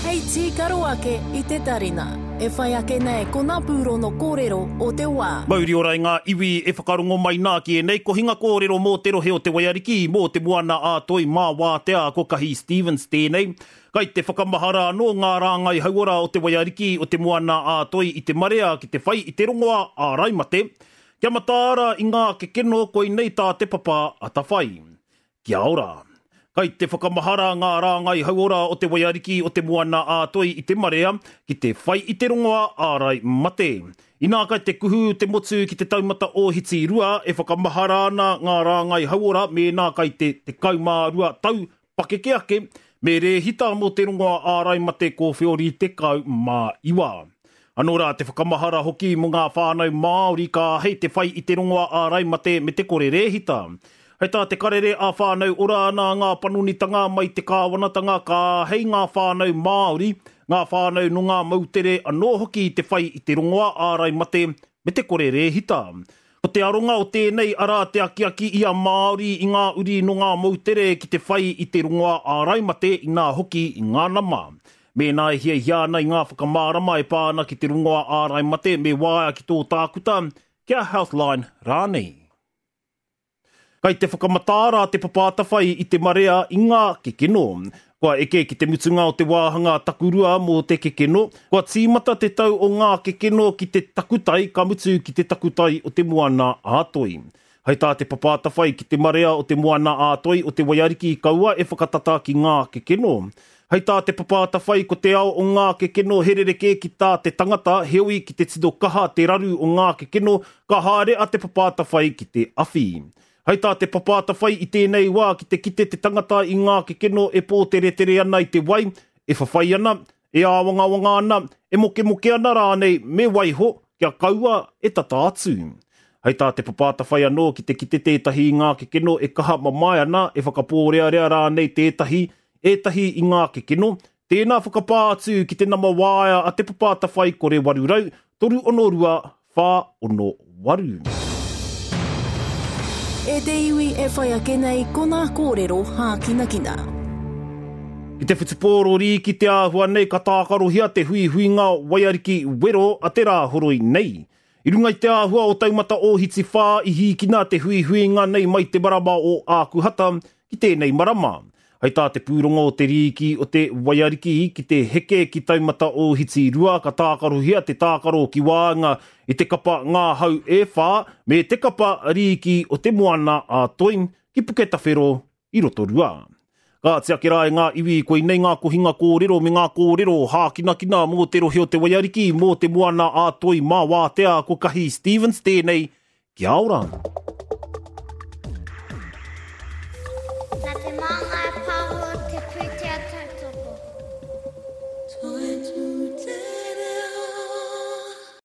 Hei tīkaro ake i te tarina. E whai ake nei ko ngā pūrono kōrero o te wā. Mauri ora i ngā iwi e whakarongo mai nā ki ēnei kohinga kōrero mō te rohe o Te Waiariki, mō Te Moana a Toi mā Wātea ko Kahi Stevens tēnei. Kai te whakamahara anō ngā rāngai hauora o Te Waiariki, o Te Moana a Toi i te marea ki te whai i te rongoā ārai mate. Kia mataara i ngā kekeno koinei tā Te Papa Atawhai. Kia ora. Kai te whakamahara ngā rāngai hauora o Te Waiariki o Te Moana-a-Toi i te marea ki te whai i te rongoā ārai mate. Inā kai te kuhu te motu ki te taumata ōhiti rua e whakamahara ana ngā rāngai hauora mēnā kai te 12 tau pakeke ake, me rēhita mō te rongoā ārai mate kōwheori 19. Anō rā te whakamahara hoki mō ngā whānau Māori ka āhei te whai i te rongoā ārai mate me te kore rēhita. Hei tā te karere a Whānau Ora nā ngā panonitanga mai te kāwanatanga ka āhei ngā whānau Māori, ngā whānau nō ngā moutere anō hoki te whai i te rongoā ārai mate me te kore rēhita. Ko te aronga o tēnei arā te akiaki i a Māori i ngā uri nō ngā moutere ki te whai i te rongoā ārai mate inā hoki i ngā nama. Mēnā e hiahia ana i ngā whakamārama e pā ana ki te rongoā ārai mate me waea ki tō tākuta, ki a Healthline rānei. Kai te whakamataara te Papa Atawhai i te marea i ngā kekeno. Kua eke ki te mutunga o te wāhanga takurua mō te kekeno, kua tīmata te tau o ngā kekeno ki te takutai ka mutu ki te takutai o te Moana a Toi. Hai tā te Papa Atawhai ki te marea o te Moana a Toi o te Waiariki kaua e whakatata ki ngā kekeno. Hei tā te Papa Atawhai ko te ao o ngā kekeno he rerekē ki tā te tangata, heoi ki te tino kaha te raru o ngā kekeno, ka haere a Te Papa Atawhai ki te awhi. Hei tā te Papa Atawhai i tēnei wā ki te kite te tangata i ngā kekeno e pōteretere ana i te wai, e whawhai ana, e āwangawanga ana, e mokemoke ana rānei me waiho kia kaua e tata atu. Hei tā Te Papa Atawhai anō ki te kite tētahi i ngā kekeno e kaha mamae ana, e whakapōrearea rānei tētahi, ētahi i ngā kekeno, tēnā whakapā atu ki te nama waea a Te Papa Atawhai kore 800 362 468. E te iwi e whai ake nei ko nā kōrero hākinakina. Ki te whutupōro rīki te āhua nei ka tākarohia te huihuinga waiariki wero a te Rāhoroi nei. I runga i te āhua o Taumata Ōhiti Whā i hīkina te huihuinga nei mai te marama o Ākuhata ki tēnei marama. Hei tā te pūrongo o te Rīki o te Waiariki ki te heke ki Taumata Ōhiti 2 ka tākarohia te tākaro ki waenga i te kapa Ngā Hau e Whā me te kapa Rīki o Te Moana a Toi ki Puketawhero i Rotorua. Kāti ake rā e ngā iwi, koinei ngā kohinga kōrero me ngā kōrero hākinakina mō te rohe o Te Waiariki, mō Te Moana a Toi mā Wātea, ko Kahi Stevens tēnei, kia ora! Nā Te Māngai Pāho te pūtake.